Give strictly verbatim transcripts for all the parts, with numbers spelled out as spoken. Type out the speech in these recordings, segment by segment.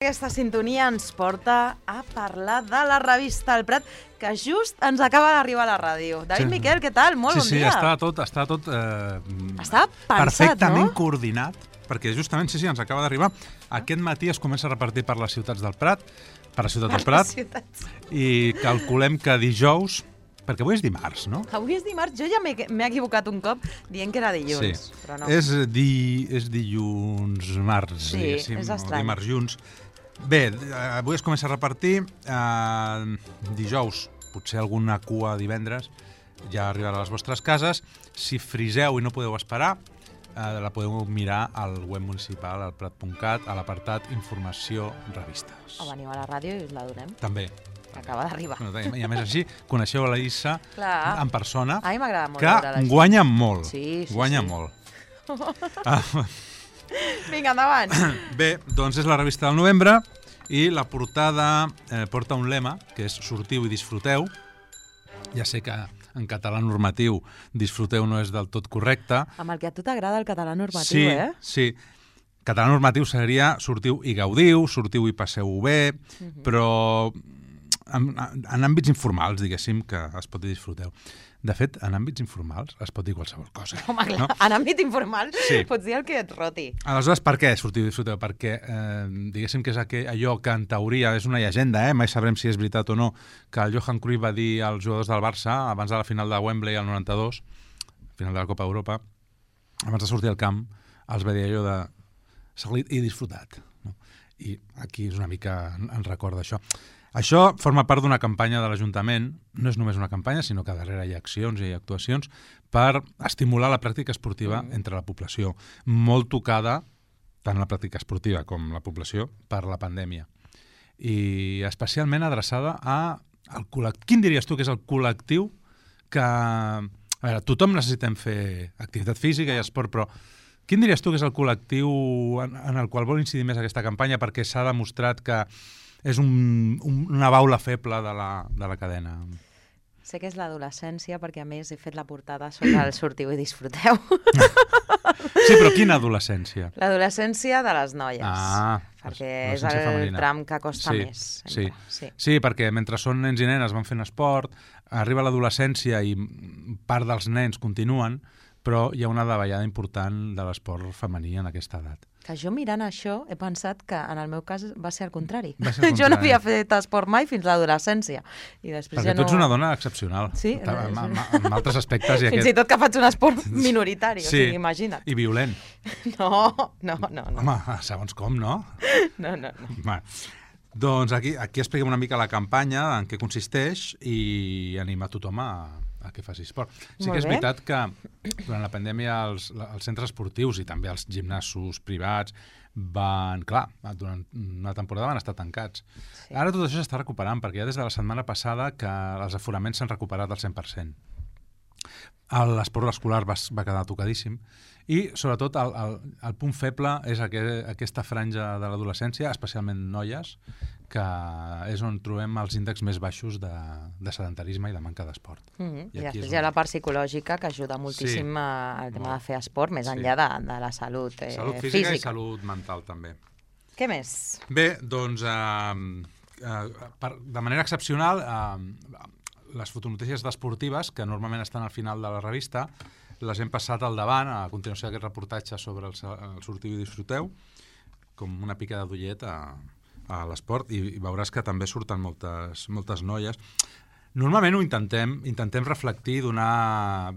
Aquesta sintonia ens porta a parlar de la revista El Prat, que just ens acaba d'arribar a la ràdio. David sí. Miquel, què tal? Molt sí, bon sí, dia. Sí, està tot, està tot eh, està pensat, perfectament no? coordinat, perquè justament, sí, sí, ens acaba d'arribar. Aquest matí es comença a repartir per les ciutats del Prat, per la ciutat per del Prat, ciutats. I calculem que dijous, perquè avui és dimarts, no? Avui és dimarts, jo ja m'he equivocat un cop dient que era dilluns, sí. però no. És, di, és dilluns, març, sí, diguéssim, és estrany. dimarts, junts. Bé, avui es comença a repartir, eh, dijous, potser alguna cua divendres, ja arribarà a les vostres cases. Si friseu i no podeu esperar, eh, la podeu mirar al web municipal, al prat punt cat, a l'apartat Informació Revistes. O veniu a la ràdio i us la donem. També. Que acaba d'arribar. I a més així, coneixeu la Issa Clar. en persona, a mi m'agrada molt que guanya molt. Sí, sí, guanya sí. molt. ah, Vinga, endavant. Bé, doncs és la revista del novembre i la portada eh, porta un lema, que és sortiu i disfruteu. Ja sé que en català normatiu disfruteu no és del tot correcte. Amb el que a tu t'agrada el català normatiu, sí, eh? Sí, català normatiu seria sortiu i gaudiu, sortiu i passeu-ho bé, uh-huh. però en, en àmbits informals, diguéssim, que es pot dir disfruteu. De fet, en àmbits informals es pot dir qualsevol cosa. Home, clar, no? En àmbit informal sí. Pots dir el que et roti. Aleshores, per què sortiu i disfruteu? Perquè, eh, diguéssim que és aquell, allò que en teoria és una llegenda, eh? Mai sabrem si és veritat o no, que el Johan Cruyff va dir als jugadors del Barça, abans de la final de Wembley al noranta-dos, final de la Copa d'Europa, abans de sortir al camp, els va dir allò de salit i disfrutat. No? I aquí és una mica, ens recorda això. Això forma part d'una campanya de l'Ajuntament, no és només una campanya, sinó que darrere hi ha accions i actuacions per estimular la pràctica esportiva mm. entre la població, molt tocada, tant la pràctica esportiva com la població, per la pandèmia. I especialment adreçada a al col·lectiu. Quin diries tu que és el col·lectiu que... A veure, tothom necessitem fer activitat física i esport, però quin diries tu que és el col·lectiu en, en el qual vol incidir més aquesta campanya perquè s'ha demostrat que és un, un, una baula feble de la, de la cadena? Sé que és l'adolescència, perquè a més he fet la portada sobre el sortiu i disfruteu. Sí, però quina adolescència? L'adolescència de les noies. Ah, perquè és el femenina. Tram que costa sí, més. Sí. Sí. sí, perquè mentre són nens i nenes van fent esport, arriba l'adolescència i part dels nens continuen, però hi ha una davallada important de l'esport femení en aquesta edat. Que jo mirant això he pensat que en el meu cas va ser al contrari. Va ser al contrari. Jo no havia fet esport mai fins a l'adolescència. I després perquè ja no... tu ets una dona excepcional. Sí. En, en, en altres aspectes. I fins aquest... i tot que faig un esport minoritari, sí. O sigui, imagina't. I violent. No, no, no. no. Home, segons com, no? No, no, no. Va. Doncs aquí, aquí expliquem una mica la campanya, en què consisteix, i anima a tothom a... a que faci esport. Sí Molt que és bé. veritat que durant la pandèmia els, els centres esportius i també els gimnasos privats van, clar, durant una temporada van estar tancats. Sí. Ara tot això s'està recuperant, perquè ja des de la setmana passada que els aforaments s'han recuperat al cent per cent. L'esport escolar va, va quedar tocadíssim i, sobretot, el, el, el punt feble és aquest, aquesta franja de l'adolescència, especialment noies, que és on trobem els índexs més baixos de, de sedentarisme i de manca d'esport. Mm-hmm. I, I després on... hi ha la part psicològica que ajuda moltíssim sí. al tema de fer esport, més enllà sí. de, de la salut, eh, salut física. física. I salut mental, també. Què més? Bé, doncs, eh, eh, per, de manera excepcional, eh, les fotonotícies esportives, que normalment estan al final de la revista, les hem passat al davant, a continuació d'aquest reportatge sobre el, el sortiu i disfruteu, com una pica d'ullet a, a l'esport, i, i veuràs que també surten moltes, moltes noies. Normalment ho intentem, intentem reflectir, donar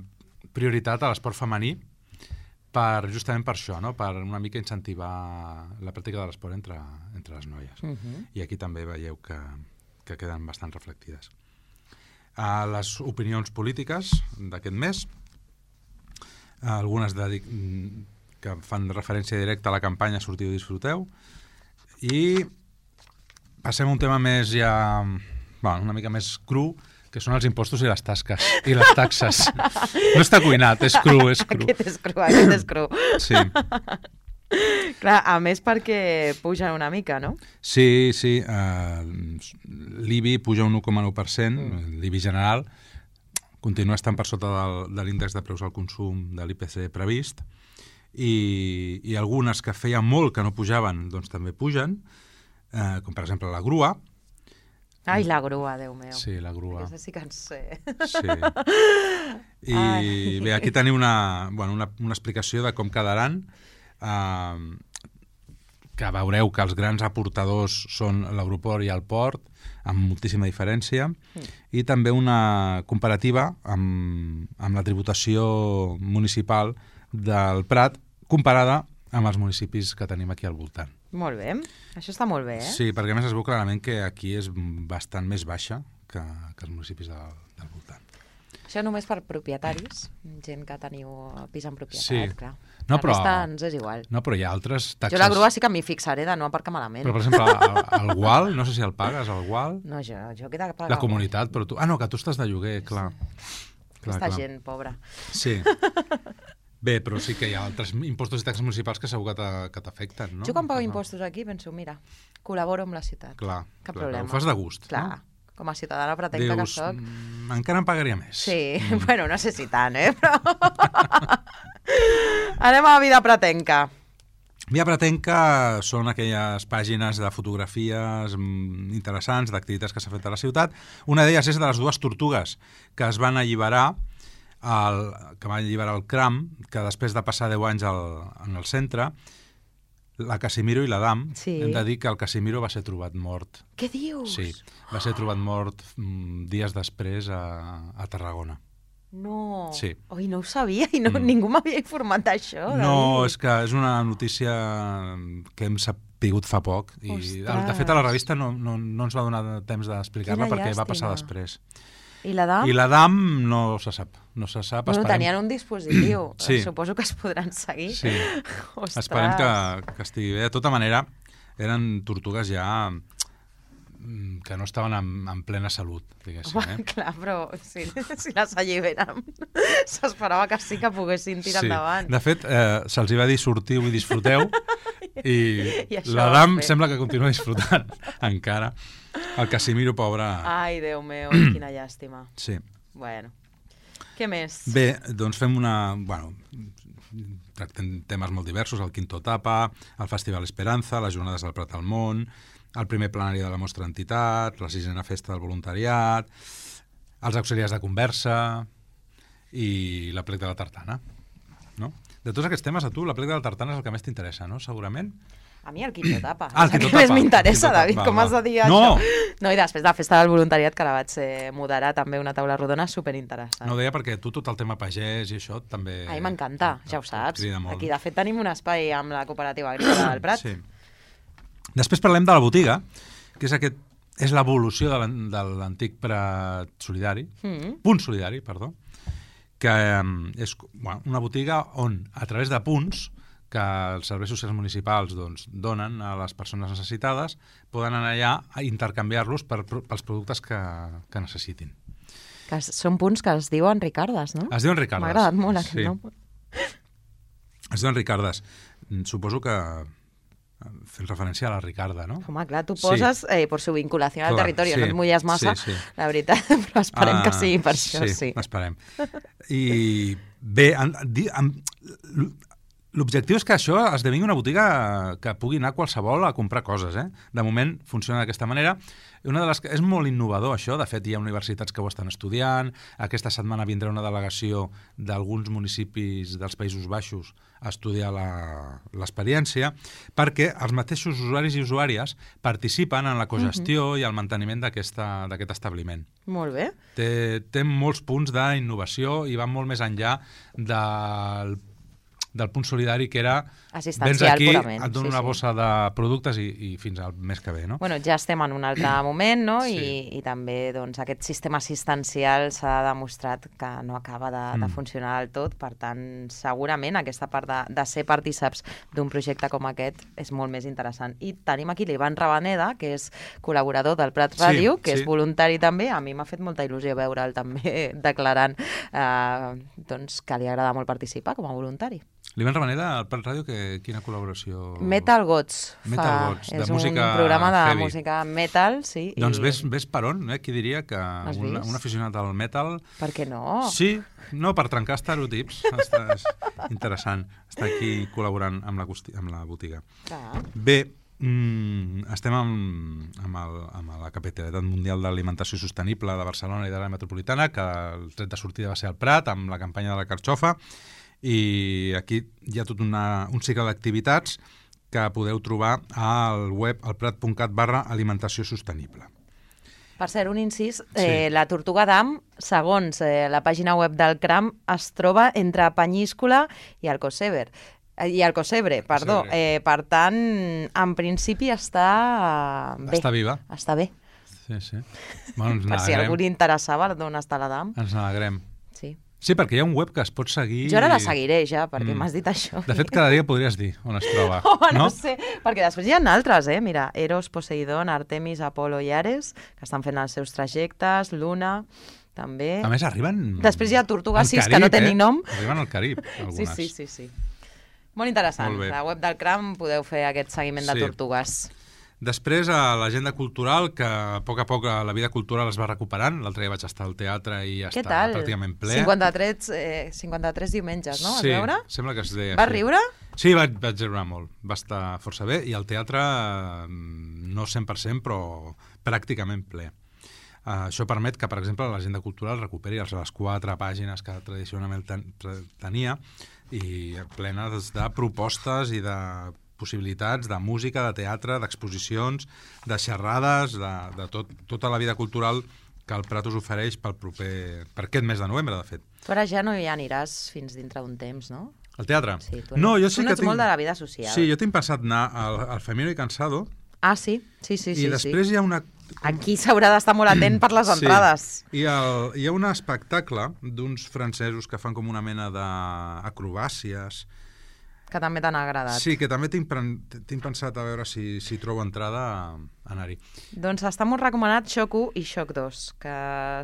prioritat a l'esport femení, per, justament per això, no? Per una mica incentivar la pràctica de l'esport entre, entre les noies. Uh-huh. I aquí també veieu que, que queden bastant reflectides. A les opinions polítiques d'aquest mes, algunes de, que fan referència directa a la campanya Sortiu i disfruteu, i passem a un tema més ja, bueno, una mica més cru, que són els impostos i les tasques, i les taxes. No està cuinat, és cru, és cru. Aquest és cru, aquest és cru. Sí. Clar, a més perquè pugen una mica, no? Sí, sí. Uh, L'I B I puja un u coma nou per cent, mm. l'I B I general, continua estant per sota del, de l'índex de preus al consum de l'I P C previst, i, i algunes que feia molt que no pujaven, doncs també pugen. eh, com per exemple la grua. Ai, la grua, Déu meu. Sí, la grua. Aquesta sí que en sé. Sí. I Ai. bé, aquí tenim una, bueno, una, una explicació de com quedaran, eh, que veureu que els grans aportadors són l'aeroport i el port, amb moltíssima diferència, mm. i també una comparativa amb, amb la tributació municipal del Prat comparada amb els municipis que tenim aquí al voltant. Molt bé, això està molt bé, eh? Sí, perquè a més es veu clarament que aquí és bastant més baixa que, que els municipis del, del voltant. Això només per propietaris, gent que teniu pis en propietat, sí. clar. No, la però, resta ens és igual. No, però hi ha altres taxes... Jo la grua sí que m'hi fixaré de no aparcar malament. Però, per exemple, el, el Gual, no sé si el pagues, el Gual... No, jo, jo que he de pagar... La comunitat, però tu... Ah, no, que tu estàs de lloguer, clar. clar Aquesta clar. gent, pobra. Sí. Bé, però sí que hi ha altres impostos i taxes municipals que segur que t'afecten, no? Jo quan pago impostos aquí penso, mira, col·laboro amb la ciutat. Clar, Cap clar, problema. Ho fas de gust, clar. no? Com a ciutadana pretenca que soc. Mm, encara em pagaria més. Sí, mm. bueno, no sé si tant, eh? Però... Anem a Vida Pretenca. Vida Pretenca són aquelles pàgines de fotografies interessants, d'activitats que s'ha fet a la ciutat. Una d'elles és de les dues tortugues que es van alliberar, el, que van alliberar el Cram, que després de passar deu anys al, en el centre, la Casimiro i l'Adam, sí. Hem de dir que el Casimiro va ser trobat mort. Què dius? Sí, va ser trobat mort mm, dies després a, a Tarragona. No, sí. Oi, no ho sabia i no, mm. ningú m'havia informat d'això. No, és que és una notícia que hem sapigut fa poc i Ostres. De fet a la revista no, no, no ens va donar temps d'explicar-la perquè llàstima. Va passar després. I l'Adam? I l'Adam no se sap. No se sap. Bueno, tenien un dispositiu. Sí. Suposo que es podran seguir. Sí. Esperem que, que estigui bé. De tota manera, eren tortugues ja que no estaven en, en plena salut, diguéssim. Home, eh? Clar, però si, si les alliberen s'esperava que sí que poguessin tirar sí. endavant. De fet, eh, se'ls va dir sortiu i disfruteu i, I l'Adam sembla que continua disfrutant encara. El Casimiro, pobre... Ai, Déu meu, quina llàstima. Sí. Bueno, què més? Bé, doncs fem una... Bueno, tractem temes molt diversos, el Quinto Tapa, el Festival Esperanza, les Jornades del Prat al Món, el primer plenari de la Mostra Entitat, la sisena festa del voluntariat, els auxiliars de conversa i la plec de la tartana. No? De tots aquests temes, a tu, la plec de la tartana és el que més t'interessa, no? Segurament? A mi el Quinto Tapa. Ah, el Quinto Tapa. Més m'interessa, David, va, com va. has de dir no. això? No, i després de la festa del voluntariat, que la vaig eh, moderar, també una taula rodona superinteressant. No, ho deia perquè tu tot el tema pagès i això també... A mi m'encanta, ja ho saps. Aquí, de fet, tenim un espai amb la cooperativa agrícola del Prat. Sí. Després parlem de la botiga, que és aquest és l'evolució de l'antic Prat solidari, mm. punt solidari, perdó, que és bueno, una botiga on, a través de punts que els serveis socials municipals doncs, donen a les persones necessitades, poden anar allà a intercanviar-los per, pels productes que, que necessitin. Que són punts que es diuen Ricardes, no? Es diuen Ricardes. M'ha agradat molt aquest sí. nom. Es diuen Ricardes. Suposo que fent referència a la Ricarda, no? Home, clar, tu poses sí. eh, per su vinculació al territori, sí, no et mulles massa, sí, sí. La veritat, però esperem uh, que sigui per sí, això, sí. Sí, esperem. I bé, l'objectiu és que això esdevingui una botiga que pugui anar qualsevol a comprar coses, eh? De moment funciona d'aquesta manera. Una de les que és molt innovador, això. De fet, hi ha universitats que ho estan estudiant. Aquesta setmana vindrà una delegació d'alguns municipis dels Països Baixos a estudiar l'experiència, perquè els mateixos usuaris i usuàries participen en la cogestió uh-huh. i el manteniment d'aquest establiment. Molt bé. Té, té molts punts d'innovació i va molt més enllà del del punt solidari, que era vens aquí, purament. Et dono sí, una bossa sí. de productes i, i fins al mes que ve, no? Bueno, ja estem en un altre moment, no? Sí. I, i també doncs, aquest sistema assistencial s'ha demostrat que no acaba de, mm. de funcionar del tot, per tant, segurament aquesta part de, de ser partíceps d'un projecte com aquest és molt més interessant. I tenim aquí l'Ivan Rabaneda, que és col·laborador del Prat Ràdio, sí, que sí. és voluntari també. A mi m'ha fet molta il·lusió veure'l també declarant eh, doncs, que li agrada molt participar com a voluntari. L'Ivan Rabaneda, al Prat Ràdio, que, quina col·laboració? Metal Gods. Metal fa, Gods, de és música un programa de heavy. música metal, sí. Doncs i... ves, ves per on, eh? Qui diria que un, un aficionat al metal... Per què no? Sí, no, per trencar estereotips. Està, és interessant estar aquí col·laborant amb la, amb la botiga. Ah. Bé, Mm, estem amb, amb, el, amb la Capitalitat Mundial d'Alimentació Sostenible de Barcelona i de l'àrea metropolitana, que el tret de sortida va ser al Prat, amb la campanya de la carxofa, i aquí hi ha tot una, un cicle d'activitats que podeu trobar al web alprat.cat barra alimentació sostenible. Per cert, un incís, Sí. eh, la Tortuga d'Am, segons eh, la pàgina web del CRAM, es troba entre Penyíscola i Alcocebre. Eh, I Alcocebre, perdó. Alcocebre. Eh, per tant, en principi està bé. Està viva. Està bé. Sí, sí. Bueno, ens Per si n'alegrem. algú li interessava d'on està la Dam. Ens n'alegrem. Sí. Sí, perquè hi ha un web que es pot seguir... Jo ara la seguiré ja, perquè Mm. m'has dit això. De fet, cada dia podries dir on es troba. Home, no? no? sé, perquè després hi ha altres, eh? Mira, Eros, Poseidon, Artemis, Apolo i Ares, que estan fent els seus trajectes, Luna, també. A més, arriben... Després hi ha Tortuga al sis, Carib, que no té eh? ni nom. Arriben al Carib, Sí, algunes. sí, sí, sí. Molt interessant. Molt bé. La web del CRAM podeu fer aquest seguiment de Sí. tortugues. Després, a l'agenda cultural, que a poc a poc la vida cultural es va recuperant. L'altre dia vaig estar al teatre i ja Què està tal? pràcticament ple. cinquanta-tres, eh, cinquanta-tres diumenges, no? Vas sí, veure? sembla que es deia. Vas sí. riure? Sí, vaig, vaig riure molt. Va estar força bé. I el teatre, eh, no cent per cent, però pràcticament ple. Uh, això permet que, per exemple, l'agenda cultural recuperi les les quatre pàgines que tradicionalment ten, tenia i plenes de propostes i de possibilitats de música, de teatre, d'exposicions, de xerrades, de, de tot, tota la vida cultural que el Prat us ofereix pel proper, per aquest mes de novembre, de fet. Tu ara ja no hi aniràs fins dintre d'un temps, no? El teatre? Sí, tu no, jo tu sí no que ets tinc... molt de la vida social. Sí, jo tinc pensat anar al, al Femino i Cansado. Ah, sí? Sí, sí, sí. I després sí. hi ha una... Aquí s'haurà d'estar molt atent per les entrades. Sí. I el, hi ha un espectacle d'uns francesos que fan com una mena d'acrobàcies. Que també t'han agradat. Sí, que també tinc, tinc pensat a veure si, si trobo entrada a anar-hi. Doncs està molt recomanat Xoc u i Xoc dos, que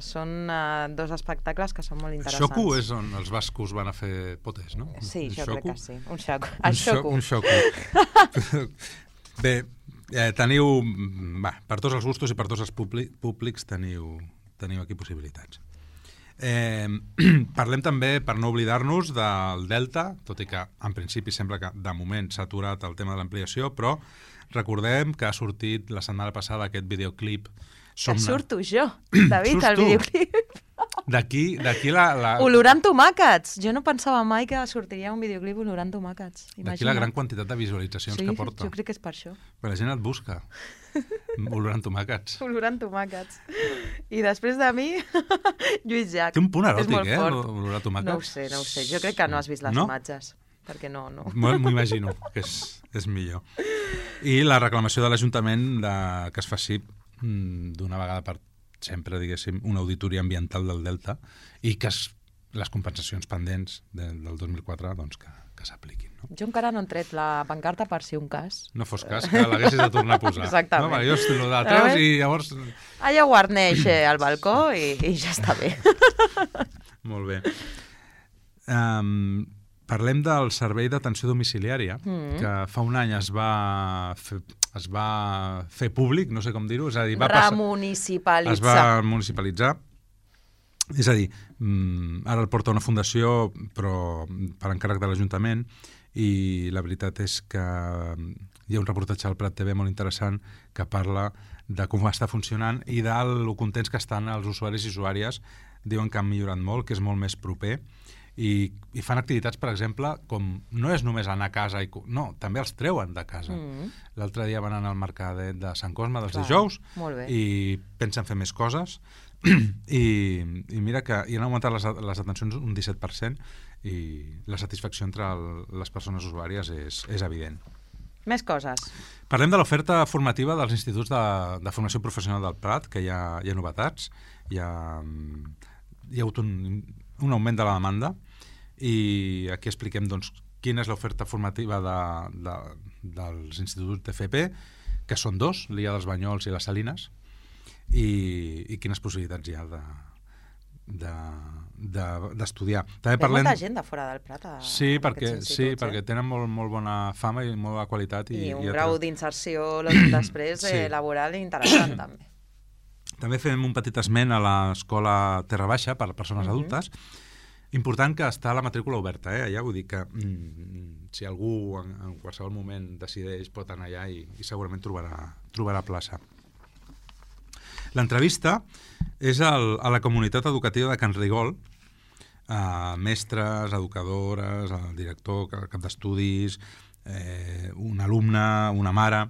són uh, dos espectacles que són molt interessants. Xoc u és on els bascos van a fer potes, no? Sí, jo Xoc crec u? que sí. Un xoc. Un El Xoc u. Un xoc u. Bé, eh, teniu... Va, per tots els gustos i per tots els públics teniu, teniu aquí possibilitats. Eh, parlem també, per no oblidar-nos, del Delta, tot i que en principi sembla que de moment s'ha aturat el tema de l'ampliació, però recordem que ha sortit la setmana passada aquest videoclip. Que surto jo, David, al videoclip. D'aquí d'aquí la, la... Olorant tomàquets. Jo no pensava mai que sortiria un videoclip olorant tomàquets. D'aquí la gran quantitat de visualitzacions sí, que porta. Jo crec que és per això. Però la gent et busca. Olorant tomàquets. Olorant tomàquets. I després de mi, Lluís Llach. Té un punt eròtic, eh? Olorar tomàquets. No ho sé, no ho sé. Jo crec que no has vist les no? imatges. Perquè no, no. M'ho imagino, que és, és millor. I la reclamació de l'Ajuntament de, que es faci d'una vegada per sempre, diguéssim, una auditoria ambiental del Delta i que es, les compensacions pendents de, del dos mil quatre doncs, que, que s'apliquin. No? Jo encara no he tret la pancarta per si un cas. No fos cas que l'haguessis de tornar a posar. Exactament. No, jo estic lo de treus i llavors... Allà guarneix eh, al balcó i, i ja està bé. Molt bé. Um, parlem del servei d'atenció domiciliària, mm. que fa un any es va fer, es va fer públic, no sé com dir-ho, és a dir, va remunicipalitzar. Es va municipalitzar. És a dir, ara el porta una fundació, però per encàrrec de l'Ajuntament, i la veritat és que hi ha un reportatge al Prat T V molt interessant que parla de com està funcionant i de lo contents que estan els usuaris i usuàries. Diuen que han millorat molt, que és molt més proper. I, i fan activitats, per exemple, com no és només anar a casa, i, no, també els treuen de casa. Mm. L'altre dia van anar al mercadet de Sant Cosme dels Clar, dijous i pensen fer més coses I, i mira que hi han augmentat les, les atencions un disset per cent i la satisfacció entre el, les persones usuàries és, és evident. Més coses. Parlem de l'oferta formativa dels instituts de, de formació professional del Prat, que hi ha, hi ha novetats, hi ha, hi ha hagut un, un augment de la demanda i aquí expliquem doncs, quina és l'oferta formativa de, de, dels instituts d'F P, que són dos, l'I A dels Banyols i les Salines, i, i quines possibilitats hi ha de, de, de, d'estudiar. També Ve parlem... molta gent de fora del Prat a, sí, perquè, sí, eh? perquè tenen molt, molt bona fama i molt bona qualitat. I, I un i grau altres... d'inserció després sí. eh, laboral interessant també. També fem un petit esment a l'escola Terra Baixa per a persones uh-huh. adultes, Important que està la matrícula oberta, eh? Allà vull dir que mm, si algú en, en qualsevol moment decideix pot anar allà i, i segurament trobarà, trobarà plaça. L'entrevista és el, a la comunitat educativa de Can Rigol, a mestres, educadores, el director, cap d'estudis, eh, un alumne, una mare,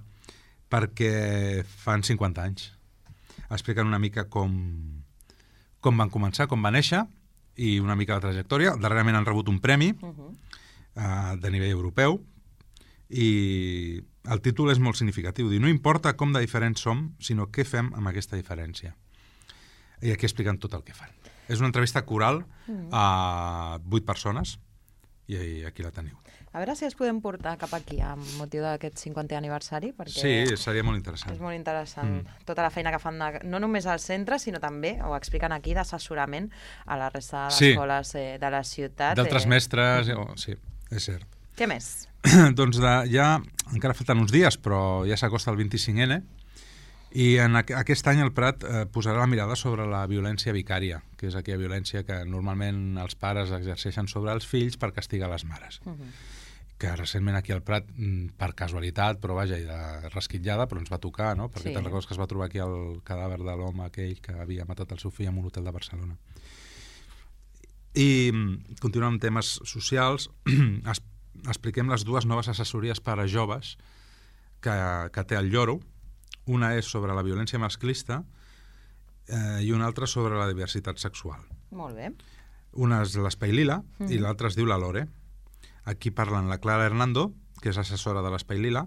perquè fan cinquanta anys. Expliquen una mica com, com van començar, com va néixer, i una mica la trajectòria. Darrerament han rebut un premi uh-huh. uh, de nivell europeu i el títol és molt significatiu. Diu, no importa com de diferents som, sinó què fem amb aquesta diferència. I aquí expliquen tot el que fan. És una entrevista coral uh-huh. a vuit persones i aquí la teniu. A veure si es podem portar cap aquí amb motiu d'aquest cinquantè aniversari, perquè sí, seria molt interessant. És molt interessant mm. tota la feina que fan, de, no només al centre, sinó també, ho expliquen aquí, d'assessorament a la resta d'escoles sí. eh, de la ciutat. D'altres eh... mestres, oh, sí, és cert. Què més? Doncs de, ja, encara falten uns dies, però ja s'acosta el vint-i-cinc ene, i en aqu aquest any el Prat eh, posarà la mirada sobre la violència vicària, que és aquella violència que normalment els pares exerceixen sobre els fills per castigar les mares. Uh -huh. Que recentment aquí al Prat, per casualitat, però vaja, i de resquitllada, però ens va tocar, no? Perquè sí. Te'n recordes que es va trobar aquí el cadàver de l'home aquell que havia matat el seu fill en un hotel de Barcelona. I continuant amb temes socials, es, expliquem les dues noves assessories per a joves que, que té el Lloro. Una és sobre la violència masclista eh, i una altra sobre la diversitat sexual. Molt bé. Una és l'Espai Lila mm. i l'altra es diu la Lore. Aquí parlen la Clara Hernando, que és assessora de l'Espai Lila,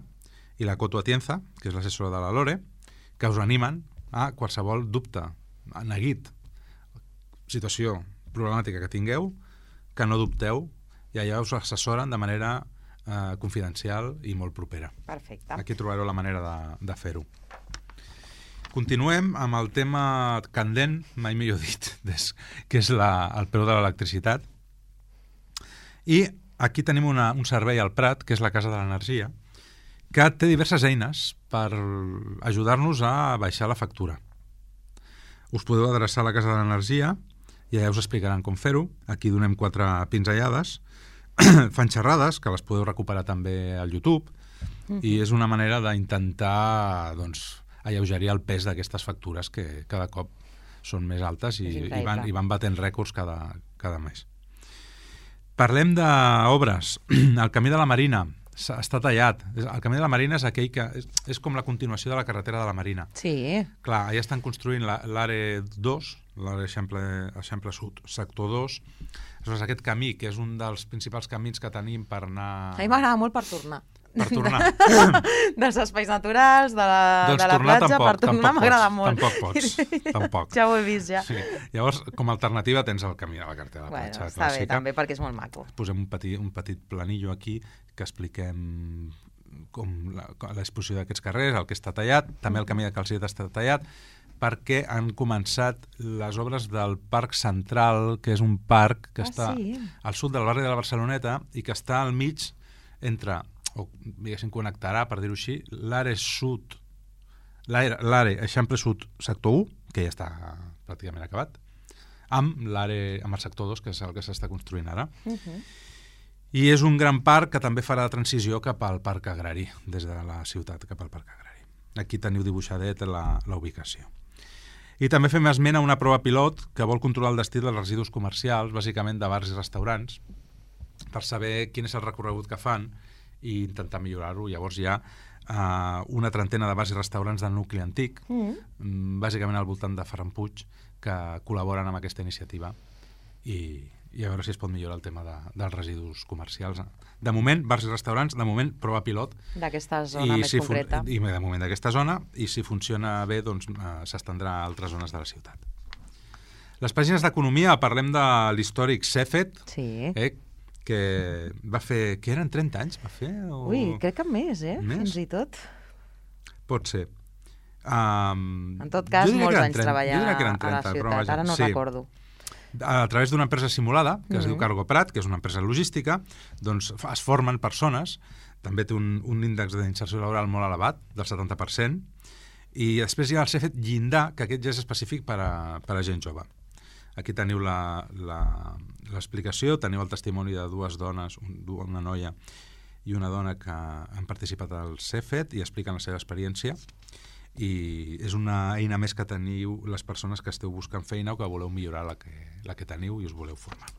i la Coto Atienza, que és l'assessora de la Lore, que us animen a qualsevol dubte, a neguit, situació problemàtica que tingueu, que no dubteu, i allà us assessoren de manera eh, confidencial i molt propera. Perfecte. Aquí trobareu la manera de, de fer-ho. Continuem amb el tema candent, mai millor dit, des, que és la, el preu de l'electricitat. I aquí tenim una, un servei al Prat, que és la Casa de l'Energia, que té diverses eines per ajudar-nos a baixar la factura. Us podeu adreçar a la Casa de l'Energia i ja us explicaran com fer-ho. Aquí donem quatre pinzellades. Fan xerrades, que les podeu recuperar també al YouTube, uh-huh. i és una manera d'intentar doncs, alleugerir el pes d'aquestes factures que cada cop són més altes i, i, van, i van batent rècords cada, cada mes. Parlem d'obres. El Camí de la Marina està tallat. El Camí de la Marina és aquell que és, és com la continuació de la carretera de la Marina. Sí. Clar, allà estan construint l'A R E dos, l'A R E Eixample Sud, sector dos. Aleshores, aquest camí, que és un dels principals camins que tenim per anar... A mi m'agrada molt per tornar. Per tornar. Dels espais naturals, de la, doncs de la platja, tampoc, per tornar m'agrada molt. Tampoc pots, tampoc. Ja ho he vist, ja. Sí. Llavors, com a alternativa tens el camí de la carretera de la bueno, platja està clàssica. Bé, també, perquè és molt maco. Posem un petit, un petit planillo aquí que expliquem com l'exposició d'aquests carrers, el que està tallat, també el camí de Calceta està tallat, perquè han començat les obres del Parc Central, que és un parc que ah, està sí? al sud del barri de la Barceloneta i que està al mig entre, o diguéssim connectarà, per dir-ho així, l'A R E Sud, l'A R E Eixample Sud sector u, que ja està pràcticament acabat, amb l'A R E, amb el sector dos, que és el que s'està construint ara. Uh-huh. I és un gran parc que també farà transició cap al parc agrari, des de la ciutat cap al parc agrari. Aquí teniu dibuixadet la, la ubicació. I també fem esment a una prova pilot que vol controlar el destí dels residus comercials, bàsicament de bars i restaurants, per saber quin és el recorregut que fan i intentar millorar-ho. Llavors hi ha uh, una trentena de bars i restaurants del nucli antic, mm. bàsicament al voltant de Ferran Puig, que col·laboren amb aquesta iniciativa i, i a veure si es pot millorar el tema de, dels residus comercials. De moment, bars i restaurants, de moment, prova pilot. D'aquesta zona més si concreta. I de moment d'aquesta zona, i si funciona bé, doncs uh, s'estendrà a altres zones de la ciutat. Les pàgines d'economia, parlem de l'històric Cefet, sí. eh, que va fer... que eren trenta anys, va fer? O... Ui, crec que més, eh? Més? Fins i tot. Pot ser. Um, en tot cas, molts anys trenta, treballar trenta, a la ciutat, vaja, ara no sí. recordo. A través d'una empresa simulada, que es mm-hmm. diu Cargo Prat, que és una empresa logística, doncs es formen persones, també té un, un índex d'inserció laboral molt elevat, del setanta per cent, i després hi ha el Cefet Llindar, que aquest ja és específic per a, per a gent jove. Aquí teniu l'explicació, teniu el testimoni de dues dones, una noia i una dona que han participat al CEFET i expliquen la seva experiència, i és una eina més que teniu les persones que esteu buscant feina o que voleu millorar la que, la que teniu i us voleu formar.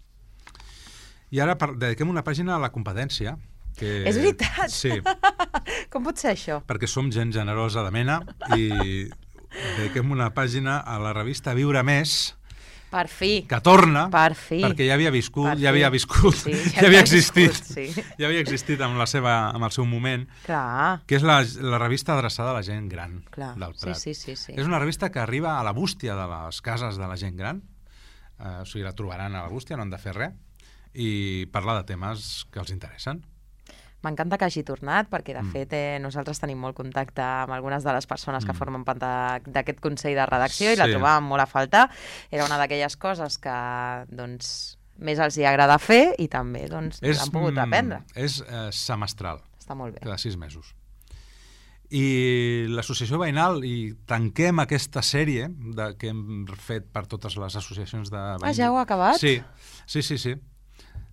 I ara dediquem una pàgina a la competència. Que... És veritat? Sí. Com pot ser això? Perquè som gent generosa de mena i dediquem una pàgina a la revista Viure Més, per fi. Que torna, per fi. Perquè ja havia viscut, per ja havia viscut, sí, ja, ja havia existit, viscut, sí. ja havia existit amb, la seva, amb el seu moment, Clar. Que és la, la revista adreçada a la gent gran. Clar. Del Prat. Sí, sí, sí, sí. És una revista que arriba a la bústia de les cases de la gent gran, eh, o sigui, la trobaran a la bústia, no han de fer res, i parla de temes que els interessen. M'encanta que hagi tornat, perquè de Mm. fet eh, nosaltres tenim molt contacte amb algunes de les persones que Mm. formen part de- d'aquest Consell de Redacció i la Sí. trobàvem molt a faltar. Era una d'aquelles coses que doncs, més els hi agrada fer i també doncs, És, l'han pogut aprendre. És eh, semestral, Està molt bé. cada sis mesos. I l'associació veïnal, i tanquem aquesta sèrie de, que hem fet per totes les associacions de veïns. Ah, ja ho ha acabat? Sí, sí, sí. sí.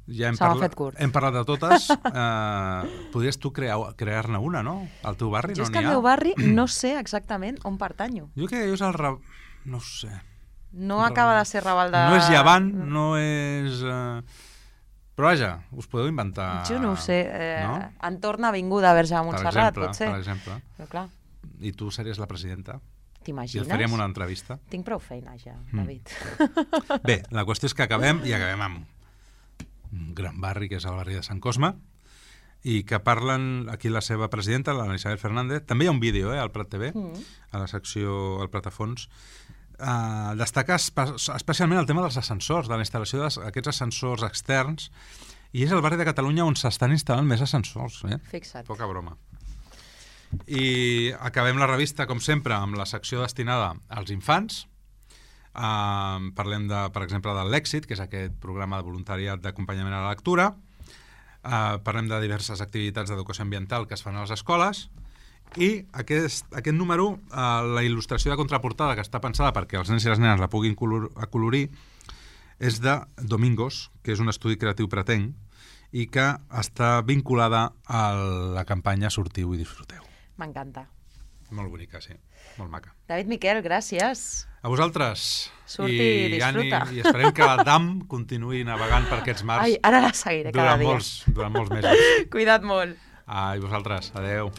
Ja hem, Se m'ha parla... fet curt. hem parlat de totes. Uh, podries tu crear- crear-ne una, no? Al teu barri Jo no és que n'hi al ha. meu barri no sé exactament on pertanyo. Jo crec que és el... Ra... No ho sé. No acaba de ser Raval de... No és Llevant, no és... Uh... Però vaja, us podeu inventar... Jo no ho sé. Eh, No? Entorn Avinguda Verge de Per Montserrat, exemple, potser. per exemple. Però clar, I tu series la presidenta? I et t'imagines? faríem una entrevista? Tinc prou feina ja, Mm. David. Bé, la qüestió és que acabem, i acabem amb un gran barri, que és el barri de Sant Cosme, i que parlen aquí la seva presidenta, la Isabel Fernández. També hi ha un vídeo, eh, al Prat T V, Mm. a la secció al Pratafons. Uh, destaca espe especialment el tema dels ascensors, de la instal·lació d'aquests ascensors externs, i és el barri de Catalunya on s'estan instal·lant més ascensors. Eh? Fixa't. Poca broma. I acabem la revista, com sempre, amb la secció destinada als infants. Uh, parlem, de, per exemple, de l'Èxit, que és aquest programa de voluntariat d'acompanyament a la lectura. Uh, parlem de diverses activitats d'educació ambiental que es fan a les escoles. I aquest, aquest número, uh, la il·lustració de contraportada, que està pensada perquè els nens i les nenes la puguin color, acolorir, és de Domingos, que és un estudi creatiu pretenc, i que està vinculada a la campanya Sortiu i disfruteu. M'encanta. Molt bonica, sí. Molt maca. David Miquel, gràcies. A vosaltres. Surti i disfruta. Ànim, I esperem que la D A M continuï navegant per aquests mars Ai, ara la seguiré cada durant, dia. molts, durant molts mesos. Cuida't molt. Ah, i vosaltres. Adeu.